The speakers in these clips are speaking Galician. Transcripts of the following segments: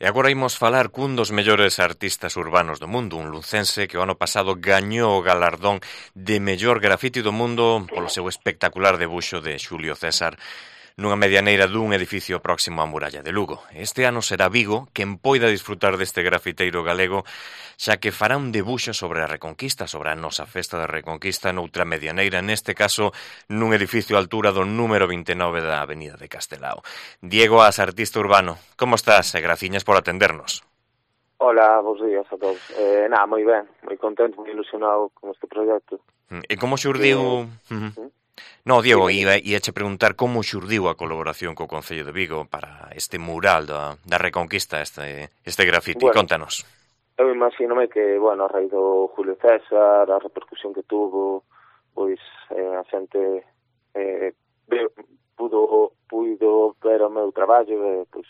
E agora imos falar cun dos mellores artistas urbanos do mundo, un lucense que o ano pasado gañou o galardón de mellor grafiti do mundo polo seu espectacular debuxo de Xulio César nunha medianeira dun edificio próximo á muralla de Lugo. Este ano será Vigo quen poida disfrutar deste grafiteiro galego, xa que fará un debuxo sobre a Reconquista, sobre a nosa festa da Reconquista noutra medianeira, neste caso nun edificio a altura do número 29 da Avenida de Castelao. Diego As, artista urbano, como estás? E graciñas por atendernos. Hola, bons días a todos. Moi ben, moi contento, moi ilusionado con este proxecto. E como xurdiu... No, Diego, íache preguntar como xurdiu a colaboración co Concello de Vigo para este mural da Reconquista, este grafiti. Bueno, contanos. Eu imagínome que, a raíz do Julio César, a repercusión que tuvo, pois a xente puido ver o meu traballo, pois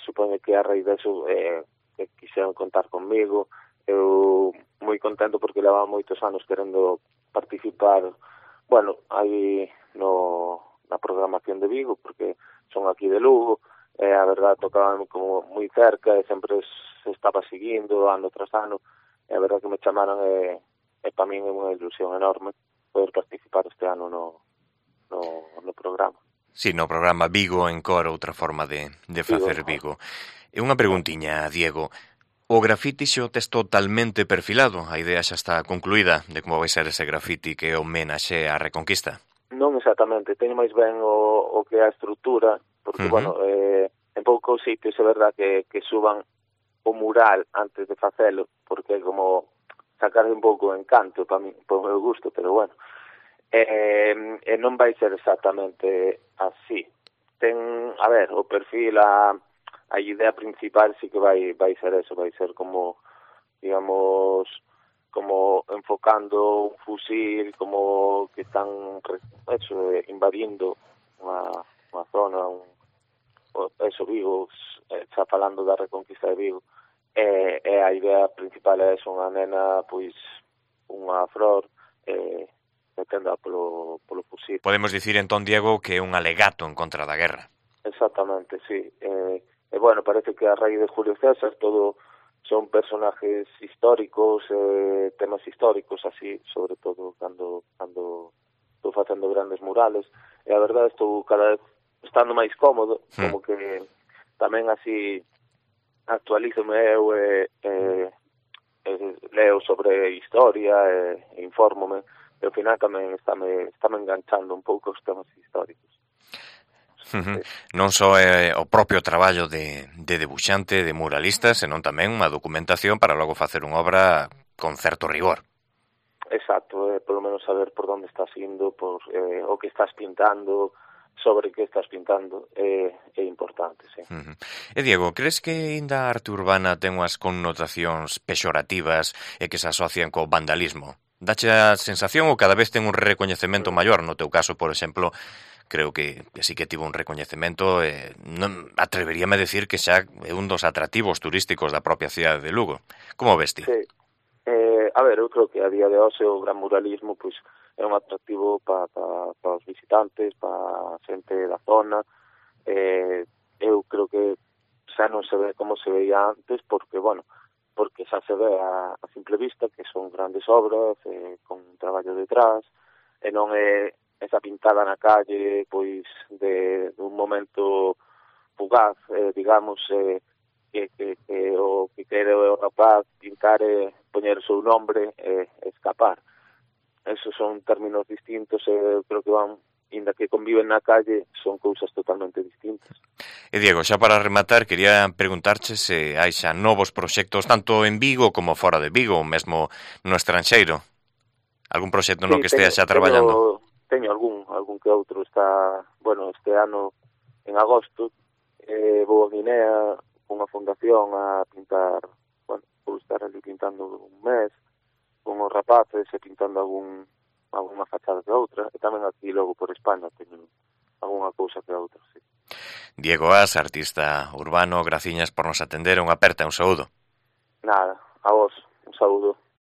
supoño que a raíz deso que quixeron contar conmigo. Eu moi contento porque levaba moitos anos querendo participar aí na programación de Vigo, porque son aquí de Lugo, a verdad tocaban como moi cerca e sempre se estaba seguindo ano tras ano, e a verdad que me chamaron e para min é unha ilusión enorme poder participar este ano no programa. Sí, no programa Vigo Encore, outra forma de facer Vigo. E unha preguntiña, Diego. O grafiti xo tes totalmente perfilado? A idea xa está concluída de como vai ser ese grafiti que homenaxe á Reconquista? Non exactamente, teño máis ben o que é a estrutura, porque, en poucos sitios é verdad que suban o mural antes de facelo, porque é como sacar un pouco o encanto para mí, por meu gusto, pero bueno. E non vai ser exactamente así. O perfil, a idea principal sí que vai ser eso, vai ser como, digamos, como enfocando un fusil, como que están invadindo unha zona, Vigo, xa falando da Reconquista de Vigo, e a idea principal é eso, unha nena, pois, unha flor, metenda polo fusil. Podemos dicir entón, Diego, que é un alegato en contra da guerra. Exactamente, sí. Parece que a raíz de Julio César todo son personajes históricos, temas históricos, así, sobre todo cando estou facendo grandes murales, e a verdade estou cada vez estando máis cómodo, como que tamén así actualízome eu leo sobre historia e infórmome, e ao final tamén estáme enganchando un pouco os temas históricos. Non só é o propio traballo de debuxante, de muralista, senón tamén unha documentación para logo facer unha obra con certo rigor. Exacto, polo menos saber por onde estás indo, por o que estás pintando, sobre que estás pintando, é importante, sí. E Diego, crees que ainda a arte urbana ten unhas connotacións pexorativas e que se asocian co vandalismo? Dache a sensación ou cada vez ten un recoñecemento maior? No teu caso, por exemplo, creo que sí que tivo un recoñecemento, non atreveríame a decir que xa é un dos atractivos turísticos da propia cidade de Lugo. Como ves ti? Sí. Eu creo que a día de hoxe o gran muralismo pois é un atractivo para os visitantes, para a xente da zona. Eu creo que xa non se ve como se veía antes, porque xa se ve a simple vista que son grandes obras, con un traballo detrás, e non é esa pintada na calle, pois, de un momento fugaz, digamos, que o que quere o rapaz pintar e poñer o seu nombre e escapar. Esos son términos distintos e creo que inda que conviven na calle, son cousas totalmente distintas. E Diego, xa para rematar, quería preguntarche se hai xa novos proxectos tanto en Vigo como fora de Vigo, ou mesmo no estranxeiro. Algún proxecto no que estea xa traballando? Teño algún que outro. Este ano, en agosto, vou a Guinea con unha fundación a pintar, vou estar ali pintando un mes, con os rapaces e pintando algunha fachada que outra, e tamén aquí logo por España teño algunha cousa que outra, sí. Diego As, artista urbano, graciñas por nos atender, unha aperta, un saúdo. Nada, a vos, un saúdo.